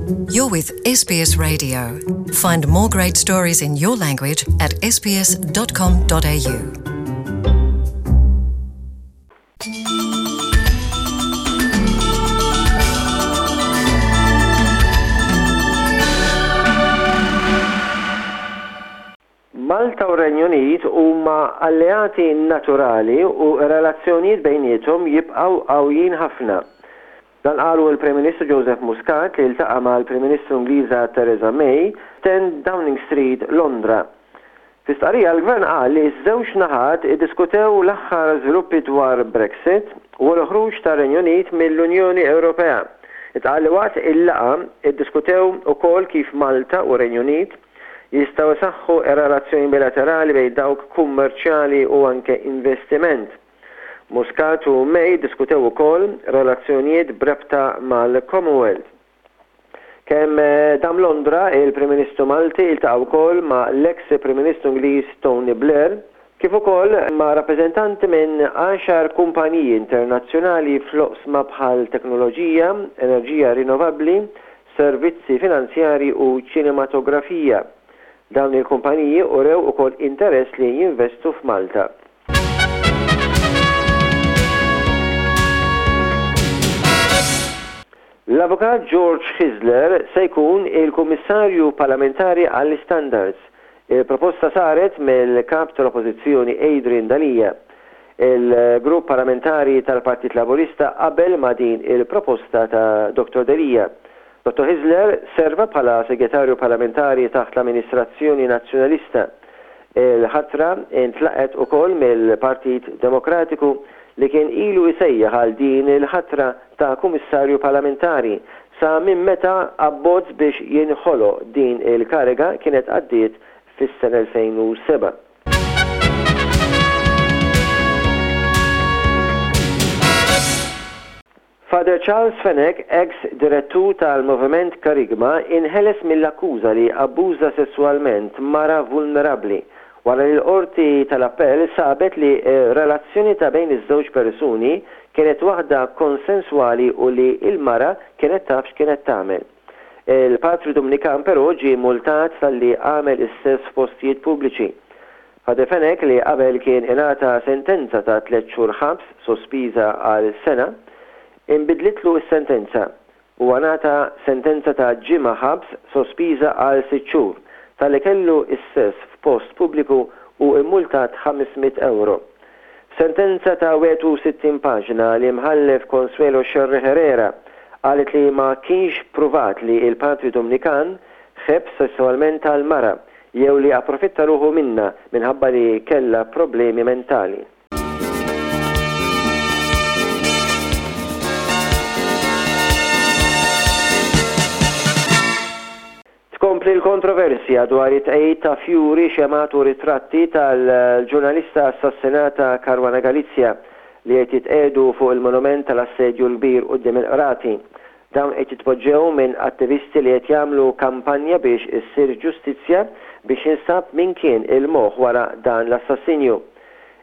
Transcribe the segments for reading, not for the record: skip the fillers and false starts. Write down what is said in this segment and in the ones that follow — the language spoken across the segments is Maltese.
You're with SBS Radio. Find more great stories in your language at sbs.com.au. Malta u r-Renju Unit huma alleati naturali u r-relazzjonijiet bejniethom jibqgħu qawwijin ħafna. Dan qalu l-Prim Ministru Joseph Muscat li ltaqa' mal-Prim Ministru Ingliża Theresa May f'Ten Downing Street, Londra. Fi stqarrija l-Gvern qal li ż-żewġ naħat iddiskutew l-aħħar żviluppi dwar Brexit u l-ħruġ tar-Renju Unit mill-Unjoni Ewropea. Intqal li waqt il-laqgħa ddiskutew ukoll kif Malta u r-Renju Unit jistgħu jsaħħu r-relazzjoni bilaterali bejn dawk kummerċjali u anke investiment. Muscat u May ddiskutew ukoll relazzjonijiet b'rabta mal-Commonwealth. Kemm dam Londra, il-Prim Ministru Malti ltaqa' wkoll ma' l-eks Prim Ministru Ingliż Tony Blair, kif ukoll ma' rappreżentanti minn għaxar kumpaniji internazzjonali fl-oqsma bħal teknoloġija, enerġija rinnovabbli, servizzi finanzjarji u ċinematografija. Dawn il-kumpaniji urew ukoll interess li jinvestu f'Malta. L-Avukat George Hyzler se jkun il-Kummissarju Parlamentari għall-Istandards. Il-proposta saret mill-Kap tal-Oppożizzjoni Adrian Delia. Il-Grupp Parlamentari tal-Partit Laburista qabel ma' din il-proposta ta' Dottor Delia. Dottor Hyzler serva bħala Segretarju Parlamentari taħt l-amministrazzjoni Nazzjonalista. Il-ħatra ntlaqgħet ukoll mill-Partit Demokratiku li kien ilu jsejjaħ għal din il-ħatra ta' Kummissarju Parlamentari sa minn meta abbozz biex jinħoloq din il-kariga kienet għaddiet fis-sena 2007. Father Charles Fenech, eks direttur tal-Moviment Kerygma, inħeles mill-akkuża li abbuża sesswalment mara vulnerabbli, wara li l-Qorti tal-Appell sabet li r-relazzjoni ta' bejn iż-żewġ persuni kienet waħda konsenswali u li l-mara kienet taf x'kienet tagħmel. Il-Patri Dumnikan però ġie multat talli għamel is-sess f'postijiet pubbliċi. Father Fenech li qabel kien ingħata sentenza ta' tlett xhur ħabs sospiża għal sena, inbidlitlu s-sentenza. Huwa ngħata sentenza ta' ġimgħa ħabs sospiża għal sitt xhur talli kellu s-sess f'post pubbliku u mmultat 500 ewro. F'sentenza ta' 61 paġna, l-Imħallef Consuelo Scerri Herrera qalet li ma kienx pruvat li l-Patri Dumnikan ħebb sesswalment għall-mara jew li approfitta ruħu minnha minħabba li kellha problemi mentali. Tkompli l-kontroversja dwar it-tqegħid ta' fjuri, xemgħat u ritratti tal-ġurnalista assassinata Caruana Galizia li qed jitqiegħdu fuq il-monument tal-Assedju l-Kbir quddiem il-Qrati. Dawn qed jitpoġġew minn attivisti li qed jagħmlu kampanja biex issir ġustizzja biex jinstab min kien il-moħħ wara dan l-assassinju.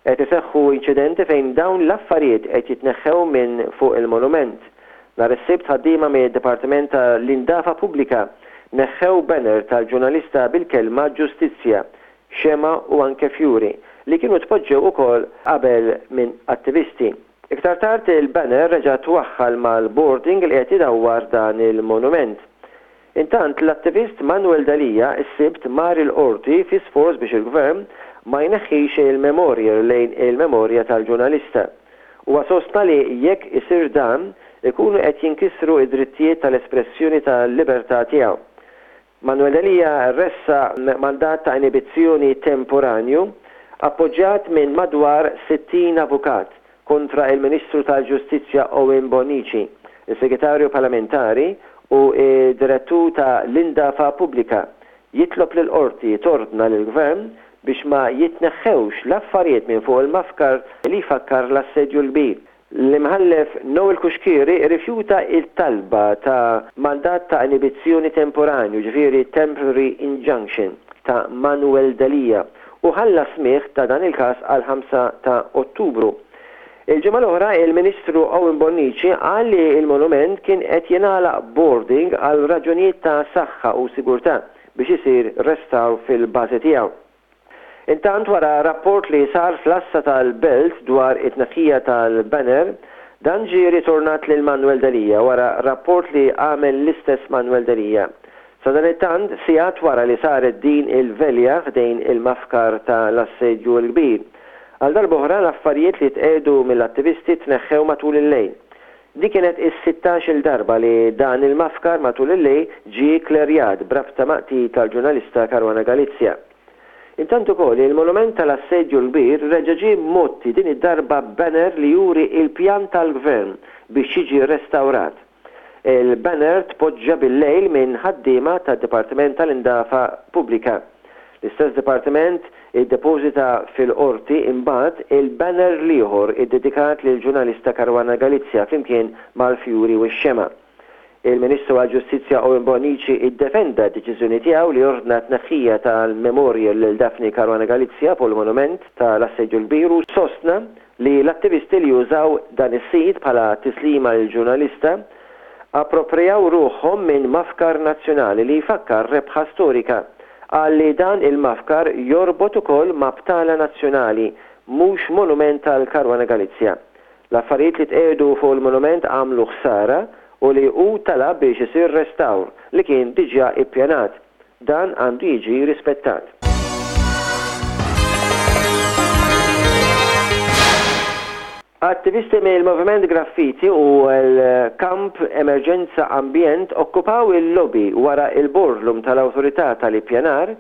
Qed iseħħu inċidenti fejn dawn l-affarijiet qed jitneħħew minn fuq il-monument. Nhar is-Sibt ħaddiema mid-Dipartiment ta' l-Indafa Pubblika neħħew banner tal-ġurnalista bil-kelma Ġustizzja, xemgħa u anke fjuri, li kienu tpoġġew ukoll qabel minn attivisti. Iktar tard il-banner reġa' twaħħal mal-boarding li qed idawwar dan il-monument. Intant, l-attivist Manuel Delia s-Sibt mar il-Qorti fi sforz biex il-Gvern ma jneħħix il-memorial lejn il-memorja tal-ġurnalista. Huwa sostna li jekk isir dan, ikunu qed jinkisru d-drittijiet tal-espressjoni tal-libertà tiegħu. Manuel Delia ressaq mandat ta' inibizzjoni temporanju appoġġjat minn madwar 60 avukat kontra il-Ministru tal-Ġustizzja Owen Bonnici, is-Segretarju Parlamentari u d-Direttur ta' l-Indafa Pubblika, jitlob lill-Qorti tordna lill-Gvern biex ma jitneħħewx l-affarijiet minn fuq il-mafkar li jfakkar l-Assedju l-Kbir. L-Imħallef Noel Cuschieri rrifjuta t-talba ta' mandat ta' inibizzjoni temporanju, ġifieri temporary injunction, ta' Manuel Delia u ħalla s-smigħ ta' dan il-każ għall-5 ta' Ottubru. Il-ġimgħa l-oħra il-Ministru Owen Bonnici qal li l-monument kien qed jingħalaq b'boarding għal raġunijiet ta' saħħa u sigurtà biex isir restawr fil-bażi tiegħu. Intant wara rapport li sar fl-għassa tal-Belt dwar it-tneħħija tal-banner, dan ġie ritornat lil Manuel Delia wara rapport li għamel l-istess Manuel Delia. Sadanittant, sigħat wara li saret din il-velja ħdejn il-mafkar ta' l-Assedju l-Kbir, għal darb'oħra l-affarijiet li tqiegħdu mill-attivisti tneħħew matul il-lejl. Din kienet is-sittax-il darba li dan il-mafkar matul il-lejl ġie kklerjat b'rabta ma' qtil tal-ġurnalista Caruana Galizia. Intant ukoll, il-monument tal-Assedju l-Kbir reġa' ġie mgħotti din id-darba b'banner li juri l-pjan tal-Gvern biex jiġi restawrat. Il-banner tpoġġa bil-lejl minn ħaddiema tad-Dipartiment tal-Indafa Pubblika. L-istess dipartiment iddepożita fil-Qorti imbagħad il-banner l-ieħor iddedikat lill-ġurnalista Caruana Galizia flimkien mal-fjuri u x-xemgħa. Il-Ministru għall-Ġustizzja Owen Bonnici iddefenda d-deċiżjoni tiegħu li ordna t-tneħħija tal-memorial lil Daphne Caruana Galizia fuq il-monument tal-Assedju l-Kbir u sostna li l-attivisti li użaw dan is-sit bħala tislima lill-ġurnalista approprijaw ruħhom minn mafkar nazzjonali li jfakkar rebħa storika. Qal li dan il-mafkar jorbot ukoll ma' btala nazzjonali, mhux monument għal Caruana Galizia. L-affarijiet li tqiegħdu fuq il-monument għamlu ħsara u li hu talab biex isir restawr li kien diġà ippjanat. Dan għandu jiġi rispettat. Attivisti mill-Moviment Graffiti u l-Kamp Emerġenza Ambjent okkupaw il-lobby wara l-boardroom tal-Awtorità tal-Ippjanar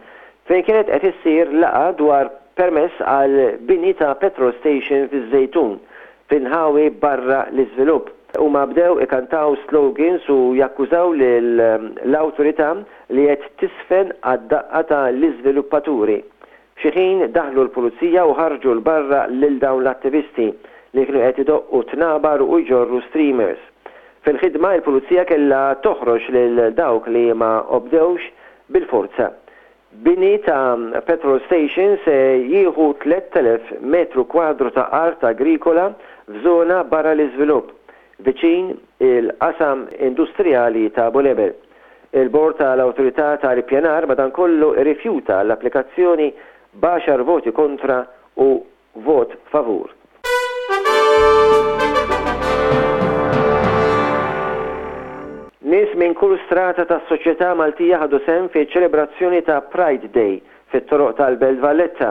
fejn kienet qed issir laqgħa dwar permess għal bini ta' petrol station fiż-Żejtun f'inħawi barra l-iżvilupp. Huma bdew ikantaw slogans u jakkużaw lill-awtorità li qed tiżfen għad-daqqa ta' l-iżviluppaturi. F'xi ħin daħlu l-pulizija u ħarġu 'l barra lil dawn l-attivisti li kienu qed idoqqu tnabar u jġorru streamers. Fil-ħidma il-pulizija kellha toħroġ lil dawk li ma obdewx bil-forza. Bini ta' petrol station se jieħu 3,000 metru kwadru ta' art agrikola f'żona barra l-iżvilupp, viċin il-qasam industrijali ta' Bulebel. Il-Bord tal-Awtorità tal-Ippjanar madankollu rrifjuta l-applikazzjoni b'għaxar voti kontra u Vot favur. Nies minn kull strata tas-soċjetà Maltija ħadu sehem fiċ-ċelebrazzjoni ta' Pride Day fit-toroq tal-Belt Valletta.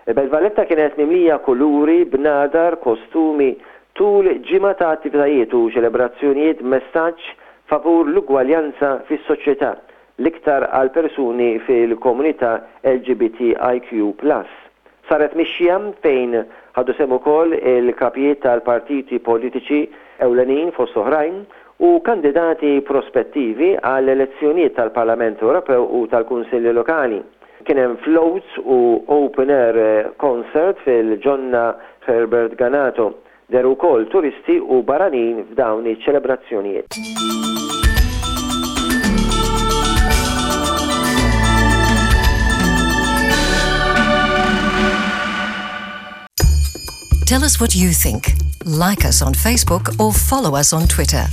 Il-Belt Valletta kienet mimlija kuluri, bnadar, kostumi tul ġimgħa ta' attivitajiet u ċelebrazzjonijiet b'messaġġ favur l-ugwaljanza fis-soċjetà, l-iktar għal persuni fil-komunità LGBTIQ plus. Saret mixja fejn ħadu sehem ukoll il-kapijiet tal-partiti politiċi ewlenin fost oħrajn u kandidati prospettivi għall-elezzjonijiet tal-Parlament Ewropew u tal-Kunsilli Lokali. Kien hemm floats u open air concert fil-Ġonna Herbert Ganato. Dehru wkoll turisti u barranin f'dawn iċ-ċelebrazzjonijiet. Tell us what you think. Like us on Facebook or follow us on Twitter.